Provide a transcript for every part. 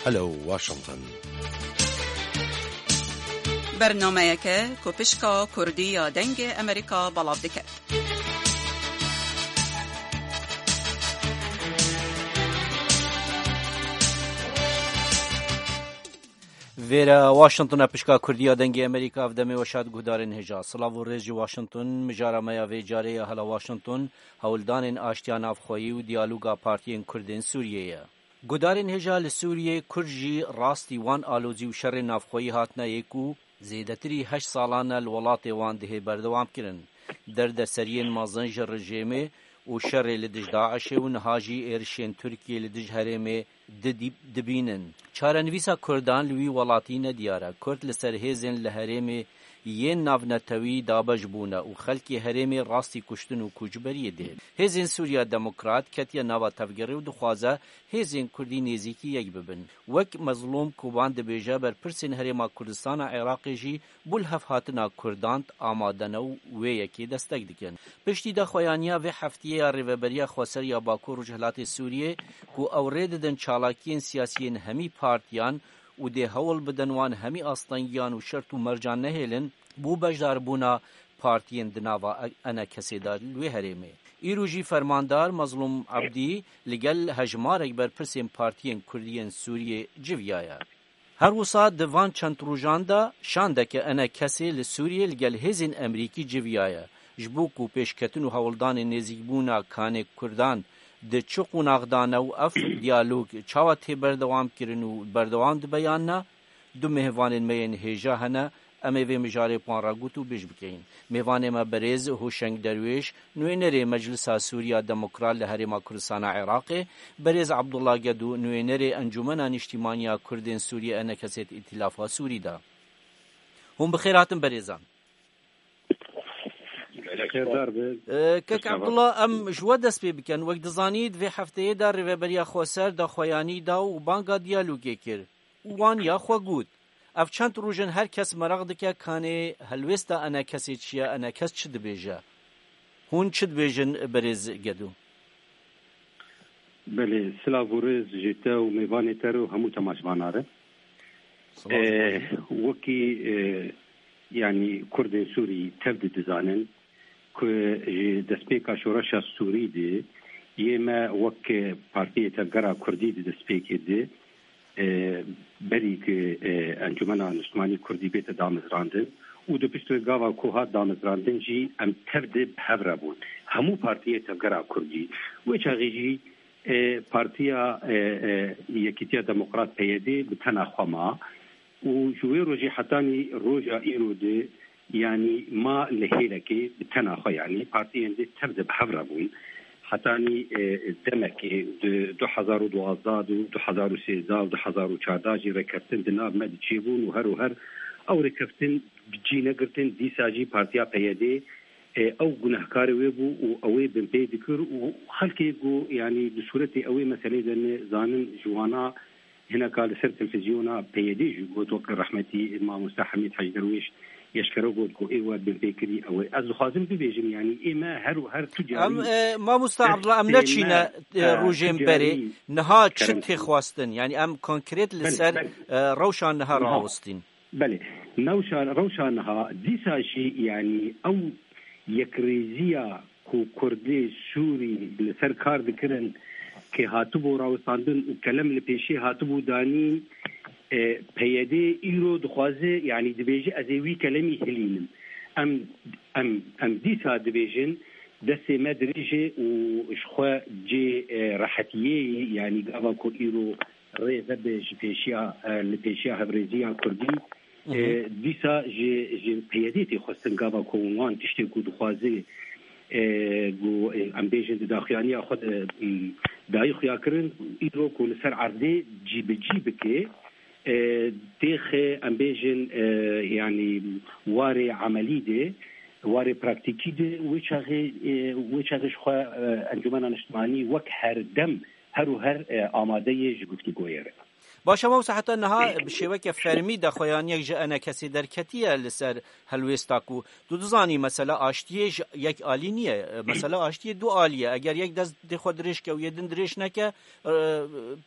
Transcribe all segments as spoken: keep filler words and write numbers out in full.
Hello Washington. Bernameyeke ku pişka Kurdî ya Dengê Amerîka belav dike. Vêre Washington e, pişka Kurdî ya Dengê Amerîka, ev demê weşa di guhdarên hêja. Silav û rêz ji Washington, mijara me ya vê carê ya Hela Washington, hewldanên aştiya navxweyî û diyaloga partiyên Kurdên Sûriyê ye. Guhdarên hêja, li Sûriyê Kurd jî rastî wan alozî û şerên navxweyî hatine yê ku zêdetirî heşt salan e li welatê wan dihê berdewam kirin. Derdeseriyên mezin ji rejêmê û şerê li dij DAIŞê û niha jî êrişên Tirkiyê li dij herêmê di-, dibînin. Çarenivîsa Kurdan li wî welatî nediyar e. Kurd li ser hêzên li herêmê yên navnetewî dabeş bûne û xelkê herêmê rastî kuştin û koçberiyê dê. Hêzên Sûriya Demokrat ketiye nava tevgerê û dixwaze hêzên Kurdî nêzîkî yek bibin. Wek Mezlûm Koban dibêje, berpirsên Herêma Kurdistana Iraqê jî bo lihevhatina Kurdan amade ne û wê yekê destek dikin. Piştî daxuyaniya vê heftiyê ya Rêveberiya Xweser ya Bakur Rojhilatê Sûriyê, ku ew rê didin çalakiyên siyasiyên hemî partiyan û dê hewl bidin wan hemî astengiyan û şert û mercan nehêlin, bo beşdarbûna partiyên di nava ENKSê de li wê herêmê. Îro jî fermandar Mezlûm Ebdî li gel hejmarek berpirsên partiyên Kurdî yên Sûriyê civiyaye. Her wisa di van çend rojan de şandeke ENKSê li Sûriyê li gel hêzên Emerîkî civiyaye. Ji bo ku pêşketin û hewldanên nêzîkbûna kanê Kurdan di çi qonax de ne û ev diyalog çawa tê berdewam kirin û berdewam dibe yan na, du mêvanên me yên hêja hene, em ê vê mijarê bi wan re gotûbêj bikeyin. Mêvanê me berêz Hoşeng Derwêş, nûênerê Meclisa Sûriya Demokrat li Herêma Kurdistana Iraqê, berêz Abdullah Gedo, nûênerê Encûmena Niştîmaniya Kurdên Sûriyê, ENKSê di Îtîlafa Sûrî de. Hûn bi xêr hatin berêzan. Xêrdar be. Ee, Kek Abdullah, em ji we dest pê bikin. Wek dizanît, vê hefteyê de Rêveberiya Xweser daxuyanî da û banga diyalogê kir. Û wan ya xwe got. Ev çend roj in her kes meraq dike kanê helwêsta ENKSê çi ye, ENKS çi dibêje? Hûn çi dibêjin, berêz Gedo? Belê, silav û rêz ji te û mêvanê te re û hemû temaşvana re. Silav. Ee, wekî, e, yanî Kurdên Sûrî tev di dizanin ku ji destpêka şoreşa Sûrî de yê me wek Partiyê Tevgera Kurdî di destpêkê de, e, berî ku, e, Encûmena Niştimanî Kurdî bête damezrandin û di pişt wê gava ku hat damezrandin jî em tev de bi hev re bûn. Hemû partiyê Tevgera Kurdî. Wê çaxê jî, e, Partiya, e, e, Yekîtiya Demokrat, P Y D, bi tena xwe ma û ji wê rojê hetanî roja îro de, yanî ma li hêlekê bi tena xwe, yanî partiyên dî tev de bi hev re bûn. Hetanî, e, demekê di du hezar û duwazdeh de û du hezar û sêzdeh û du hezar û çardeh jî rêkeftin di nav me de çêbûn û her û her ew rêkeftin bi cî negirtin, dîsa jî partiya P Y D, e, ew gunehkarê wê bû û ew ê binpê dikir û xelkê ku, yanî di sûretê ew ê meselê de ne zanin ji wana hineka li ser televîzyona P Y D jî got, wek rehmetî mamoste Hemîd Hec Derwêş eşkere got ku ê we binpêkirî ew ê. Ez dixwazim bibêjim, yanî ê me her û her tu carî Em, e, mamoste Abdullah, em neçîne, e, e, rojên berê. Niha çi tê xwestin? Yanî em konkret li ser, e, rewşa niha rawestin. Belê. Newşa, rewşa niha, dîsa jî, yanî ew yekrêziya ku Kurdê Sûrî li ser kar dikirin, kê hatibû rawestandin û kelem li pêşê hatibû danîn, e, P Y D îro dixwaze, yanî dibêje, ez ê wî kelemî hilînim. Em, em, em dîsa dibêjin, destê me dirêj e û ji xwe cê, e, rehetiyê ye, yanî gava ku îro rê vebe ji pêşiya, e, li pêşiya hevrêziya Kurdî, Hı hı. e, dîsa ji, ji P Y D tê xwestin gava ku wan tiştê ku dixwaze, e, ku, e, em bêjin di daxuyaniya xwe de, m, dayî xuya kirin, îro ku li ser erdê cî bi cî bike, e, têxe, em bêjin, e, yanî warê emelî de, warê praktîkî de, wê çaxê, e, wê çaxê ji xwe, e, Encûmena Niştimanî wek her dem her û her, e, amade ye ji guftûgoyê re. Baş e, mamoste, heta niha bi şêweke fermî daxuyaniyek ji ENKSê derketiye li ser helwêsta ku tu dizanî mesela aştiyê ji yek alî niye. E, mesela aştiyê du alî ye. Eger yek dest dê xwe dirêj ke û yê din dirêj neke, e,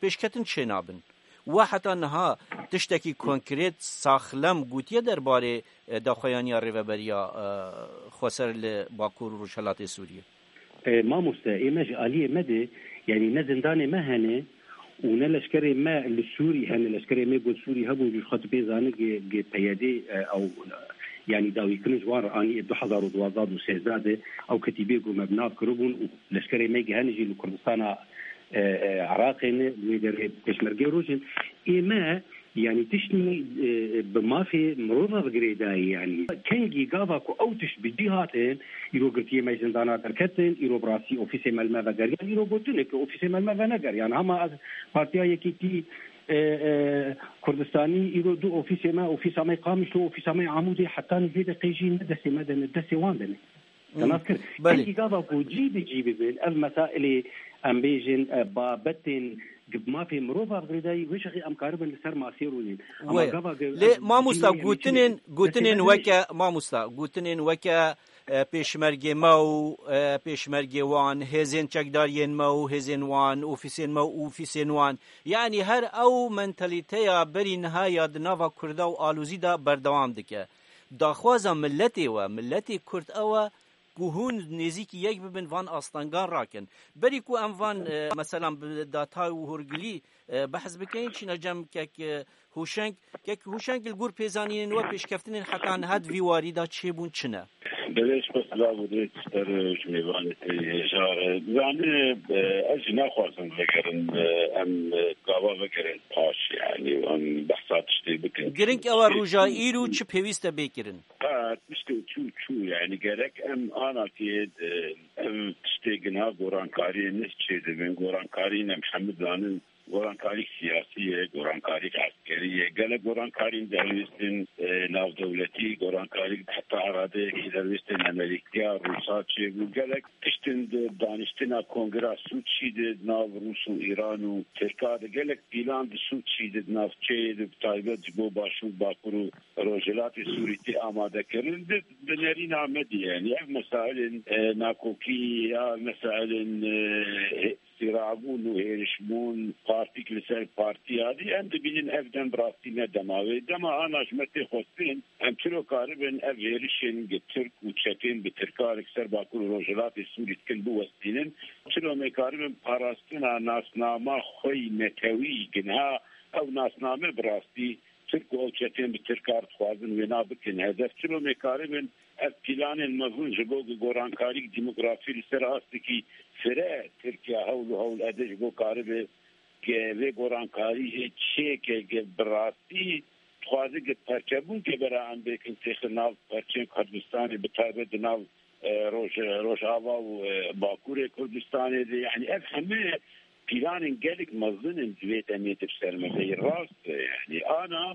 pêşketin çê nabin. We heta niha tiştekî konkret, saxlem gotiye derbarê, e, daxuyaniya Rêveberiya, e, Xweser li Bakur û Rojhelatê Sûriyê? E, mamoste, ê me ji aliyê me de, yanî ne zindanê me hene û ne leşkerê me li Sûrî hene. Leşkerê me ku Sûrî hebûn, ji xwe tu pê zanî, G-, G P Y D, e, ew, yanî dawîkirin ji wan re anî ê du hezar û duwazdeh û sêzdeh de ew ketîbê ku me bi nav kiribûn û leşkerê me hene jî li Kurdistana, e, e, Iraqê ne, li wê derê pêşmergê rojin. Ê me, yanî tiştî, e, bi mafê mirova bi girêdayî, yanî kengî gava ku ew tişt bi cî hatin, îro girtiyê me ji zindana derketin, îro bi rastî ofîsê me li me vegeriyan, îro gotin ku ofîsê me li me venegeriyan. Hema ez Partiya Yekîtî, e, e, Kurdistanî, îro du ofîsê me, ofîsa me Qamişlo, ofîsa me Amûdê, heta nîvê deqê jî ne destê me de ne, destê wan de ne. Te nas kir. Belê. Kengî gava ku cî bi cî bibin, ev mesailê, em bêjin, e, babetên bi mafê mirova bi girêdayî, wê şexê em karibin li ser masê rûnin. Ama Wê. gava ge-, Lê ev mamosta, cî gotinên, gotinên destê me de weke, mamosta, gotinên weke, e, pêşmergê me û, e, pêşmergê wan, hêzên çekdariyên me û hêzên wan, ofîsên me û ofîsên wan. Yanî her ew mentalîteya berî niha ya di nava Kurda û alozî de berdewam dike. Daxwaza miletê we, miletê Kurd ew e ku hûn nêzîkî yek bibin, van astengan rakin. Berî ku em van, e, meselan bi datay û hûrgilî, e, behs bikin, çîna cem kek, e, Hûşeng, kek Hûşeng li gor pêzanînên we pêşkeftinên heta niha di vî warî de çêbûn çi ne? Belê, ji xwe silav û rêz ji te re û ji mêvanê te hêja re. Zanî, e, ez jî naxwazim vegerin, e, em, e, gava vegerin paş, yanî, em behsa tiştê bikin. Girîng ew e, roja îro çi pêwîst e bê kirin? Qet tiştê çû, çû. Yanî gerek em anakê, e, ev tiştê gina gorankariyê ne çêdibin. Gorankarî em hemû zanin, gorankarî siyasî ye, gorankarî eskerî ye. Gelek gorankarî dihewîstin, e, navdewletî, gorankarî heta eradeyekî dihewîstin Amerîkaya, Rûsa çêbû. Gelek tiştin di daniştina kongra Sûçî de di nav Rûs û Îran û Tirka de gelek pîlan di Sûçî de di navçeyê de bi taybet ji bo Başûr, Bakur û Rojhilatê Sûrî tê amadekirin. Di, di nerîna me de, yanî ev mesailên, e, nakokî ya mesailên, e, sîrabûn û hêrişbûn, partîk li ser partî ya dî, em dibînin ev dem bi rastî ne dema wê. Dema ana ji me tê xwestin, em çilo karibin ev hêrişên gi Tirk û çetên bi Tirka li ser Bakur û Rojhilatê Sûrî dikin biwestînin? Çilo me karibin parastina nasnama xwe yî netewî, gi niha ew nasname bi rastî Tirk û ew çetên bi Tirka re dixwazin wêna bikin hedef? Çilo me karibin ev pîlanên mezin ji bo gorankarî demografî li ser astekî fire Tirkiye hewl û hewl ede ji bo karibe vê gorankarî hê çêke ge bi rastî dixwaze ge perçebûn ke bera em bêkin têxin nav perçên Kurdistanê, bi taybet di nav, e, Roj-, Rojava û, e, Bakurê Kurdistanê de, yanî ev hemû pîlanên gelek mezin in di vê demê de bi ser me de. Rast e, yanî ana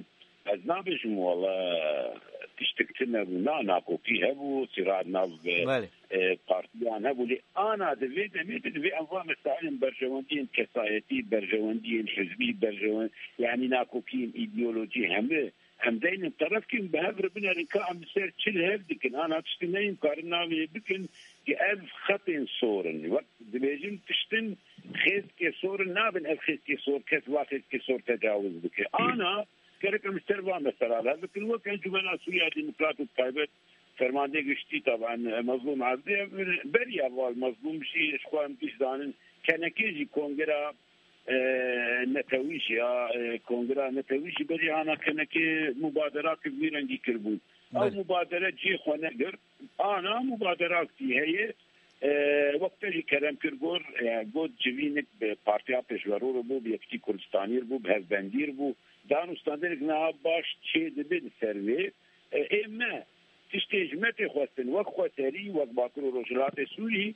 ez nabêjim wela tiştik tune bû. Na, nakokî hebû, sîrat nav, e, Belê. e, partiyan hebû. Lê ana di vê demê de divê em va mesailên berjewendiyên kesayetî, berjewendiyên hizbî, berjewen-, yanî nakokiyên îdeolojî hemû em deynin terefkî û bi hev re binerin ka em li ser çi li hev dikin. Ana tiştî neyên karin navê bikin ki ev xetên sor in. Wek dibêjin tiştin xêzkê sor in, nabin ev xêzkê sor, kes va xêzkê sor tecawiz bike. Ana gerek em li ser va mesela li hev bikin. Wek Encûmena Sûriya Demokrat û taybet Fermandê Giştî taban, e, Mezlûm Evdî, beriya va Mezlûm jî ji xwe em giş zanin, kenekê jî kongera, e, netewî jî ya, e, kongera netewî jî berî ana kenekê mubadera ki vî rengî kiribûn. Ew Belê. mubadere cihê xwe negirt. Ana mubaderak jî heye, e, wek te jî kerem kir gor, e, got civînik bi Partiya Pêşverû re bû, bi Yekîtî Kurdistanî re bû, bi Hevbendî re bû. Danûstandinek niha baş çê dibe li ser vê. E, ê me tiştê ji me tê xwestin, wek xweserî, wek Bakur û Rojhilatê Sûrî,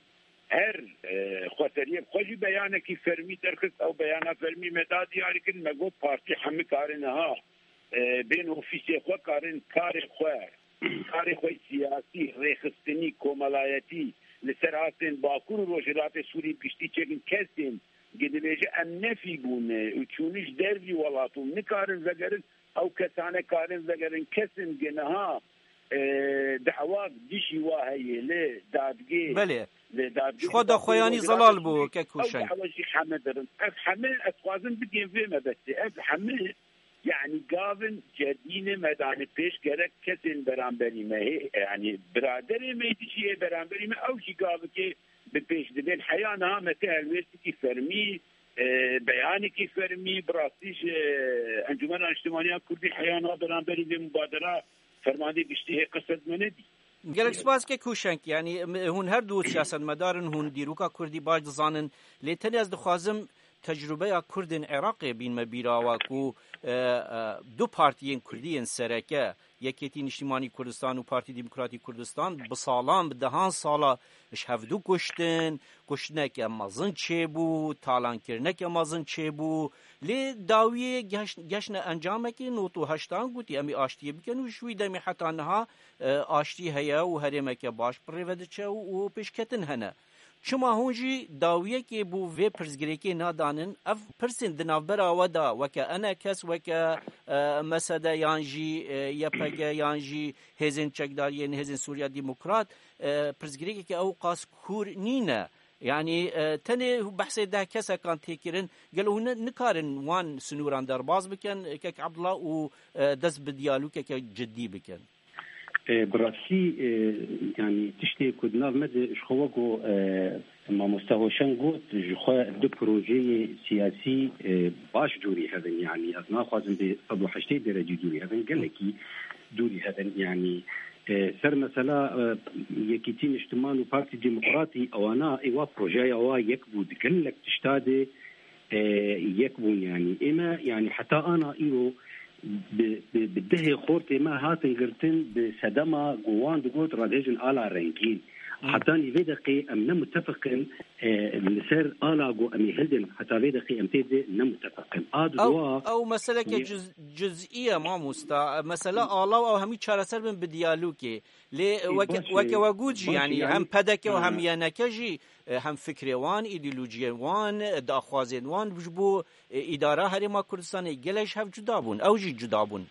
her, e, xweseriyek xwe jî beyanekî fermî derxist. Ew beyana fermî me da diyarî kirin, me got partî hemî karin niha, e, bên ofîsê xwe, karin karê xwe, karê xwe siyasî, rêxistinî, komelayetî li ser astên Bakur û Rojhilatê Sûrî bi giştî çêkin. Kesên ki dibêje em nefî bûne û çûne ji dervî welat û nikarin vegerin, ew kesane karin vegerin. Kesên ki niha e, dawa dijî wa heye li dadgê, Belê. li dadgê Ji xwe daxuyanî zelal bû, kek Hûşeng. Ew dawa jî heme dirin. Ev heme ez dixwazim bigêm vê mebestê. Ev heme, yanî gavin cedî ne me dane pêş, gerek kesên beramberî me, hê, yanî biraderê me dijî yê beramberî me, ew jî gavikê bi pêş dibên. Heya niha me te helwêstikî fermî, e, beyanekî fermî, bi rastî ji Encûmena Niştimaniya Kurdî heya niha beramberî vê mubadera fermandê giştî hê qesed me nedî. Gelek spas kek Hûşeng, yanî, em, hûn her du siyasetmedar in, hûn dîroka Kurdî baş dizanin, lê tenê ez dixwazim tecrûbeya Kurdên Iraqê bînme bîra we ku, e, e, du partiyên Kurdî yên sereke, Yekêtî Niştîmanî Kurdistan û Partî Demokratî Kurdistan, bi salan, bi dehan sala ji hevdu kuştin, kuştineke mezin çêbû, talankirineke mezin çêbû. Lê dawiyê geş-, geştine encamekê nod û heştan gotî, em ê aştiyê bikin û ji wî demê heta niha, e, aştî heye û herêmeke baş bi rê ve diçe û, û pêşketin hene. Çima hûn jî dawiyekê bo vê pirsgirêkê nadanin? Ev pirsên di navbera we de weke enekes, weke, e, M S D yan jî, e, Y P G yan jî hêzên çekdariyên hêzên Sûriya Demokrat, e, pirsgirêkeke ew qas kûr nîne. Yanî, e, tenê behsê deh kesekan tê kirin. Gelo hûn ne, nikarin wan sinûran derbas bikin, kek Abdullah, û, e, dest bi diyalogeke cidî bikin? E, bi rastî, e, yanî tiştê ku di nav me de ji xwe weko, e, mamoste Hoşeng got, ji xwe du projeyê siyasî, e, baş dûrî hev in. Yanî ez naxwazim bê sed û heştê derecî dûrî hev in, gelekî dûrî hev in. Yanî, e, ser mesela, e, Yekîtî Niştiman û Partî Demokratî, ewana ê wa projeya wa yek bû, di gelek tişta de, e, yek bûn. Yanî ême, yanî heta ana îro bi, bi, bi dehê xortê me hatin girtin, bi sedema ku wan digot radihêjin ala rengîn. Hmm. Hetanî vê deqê em ne mutefiq in, e, li ser ala ku em ê hildin, heta vê deqê em tê de ne mutefiq in. A di Ew, dua ew meseleke ye- cüz-, cüzî ye, mamosta. Mesele ala û ew hemî çareser bin bi diyalogê. Lê Ê, weke, baş e, weke we got jî, baş e, yanî yanî hem P D K û Ha. hem Y N K jî, e, hem fikrê wan, îdeolojiyên wan, e, daxwazên wan ji bo, e, îdara Herêma Kurdistanê gelek ji hev cuda bûn. Ew jî cuda bûn.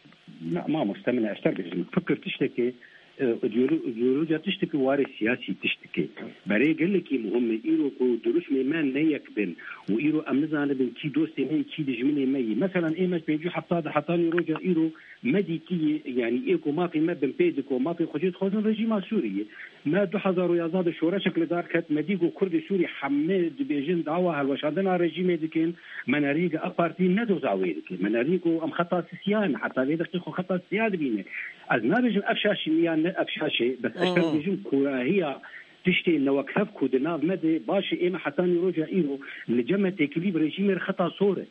Na, mamoste min ez te bêjim. Fikir tiştekê, e, îdeolo-, îdeolojiya tiştekê, warê siyasî tiştekê. Berê gelekî muhim e. Îro ku dirûşmê me ne yek bin û îro em nizanibin kî dostê me yî, kî dijminê me yî. Meselan, ê me ji pêncî û hefta de hetanî roja îro me dîtiyê, yanî ê ku mafê me binpê dike û mafê xwe jê dixwazin rejîma Sûriyê. Me du hezar û yazdeh de şoreşek li dar ket, me dî ku Kurdê Sûrî hemê dibêjin dawa hilweşandina rejîmê dikin, me nerî ku AK Partî ne doza wê dike. Me nerî ku em xeta sisiya ne, heta vê deqê xwe xeta sisiya dibîne. Ez nabêjim ev şaş in yan ne ev şaş e, bes ez Hı hı. dibêjim kûrahiya tiştê newekhev ku di nav me de baş e, ê me hetanî roja îro li cem me têkilî bi rejîmê re xeta sor e.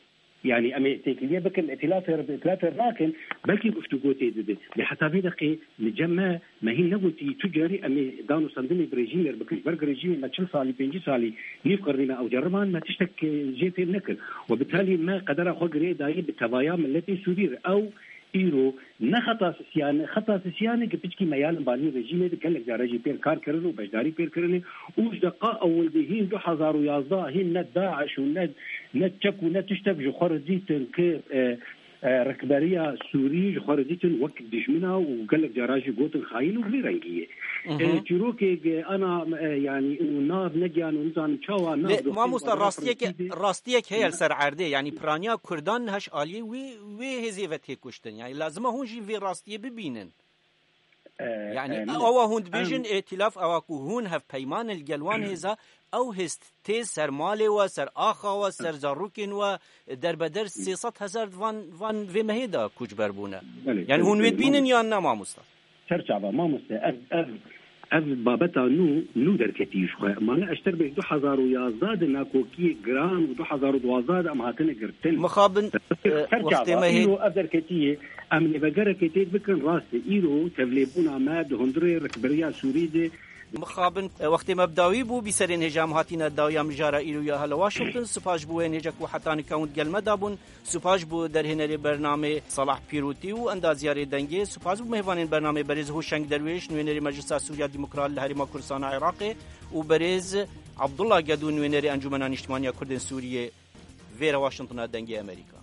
Yanî em ê têkiliyê bikin, îtilafê re bi îtilafê re nakin, belkî guftûgo tê dibe. Lê heta vê deqê li cem me, me hîn negotî tu carî em ê dan û sendinê bi rejîmê re bikin. Ji ber ku rejîmê me çil salî, pêncî salî, nîv qirnî me ew ceriban, me tiştek, e, jê fêm nekir. We bi talî me qedera xwe girê dayî bi tevaya miletê Sûrî re. Ew îro ne xeta sisiyane, xeta sisiyane ki piçkî me ya li balî rejîmê de gelek cara jî pêr kar kirin û beşdarî pêr kirine û ji deqa ewil de hîn du hezar û yazdeh hîn ne DAIŞ û ne, ne çek û ne tiştek ji xwe re dîtin ki, e, e, rikberiya Sûrî ji xwe re dîtin wek dijmina û gelek cara jî gotin xayîn û vî rengî ye. Mhm. E, çîrokê ge ana, e, yanî û nav negiyan û nizanim çawa nav Lê doxê mamosta, xwe rastiyek, rastiyek heye li ser erdê, yanî piraniya Kurdan heş aliyê wê, wê hêzê ve tê kuştin. Yanî lazim e hûn jî vê rastiyê bibînin. E, Yanî e, ewa hûn dibêjin em îtilaf, ewa ku hûn hevpeyman li gel wan hêza, ew hêz tê ser malê we, ser axa we, ser zarokên we, derbeder sê sed hezar van, van vê mehê de koçber bûne. Belê, Yanî belê, hûn wê belê, dibînin mamoste. yan ne, mamosta? Ser çava, mamoste, ev, ev, ev babeta nû, nû derketî ji xwe. Mane eşter bêj du hezar û yazdeh de nakokiyê giran û du hezar û duwazdeh de em hatine girtin. Mixabin, Ser e, ser wextê çava, me hê- îro ev derketiyê, em lê vegerekê tê bikin, rast e. Îro tevlêbûna me di hundirê rikberiya Sûrî de Mixabin, e, wextê me bi dawî bû, bîserên hêja em hatîne dawiya mijara îro ya hele Washington. Spas ji bo wê hêja ku heta nika hûn di gel me de bûn. Spas ji bo derhênerê bernamê Salah Pîrotî û endaziyarê dengê. Spas ji bo mêvanên bernamê berêz Hoşeng Derwêş, nûênerê Meclisa Sûriya Demokrat li Herêma Kurdistana Iraqê û berêz Abdullah Gedo, nûênerê Encûmena Nîştimaniya Kurdên Sûriyê. Vêre Washingtona Dengê Amerîka.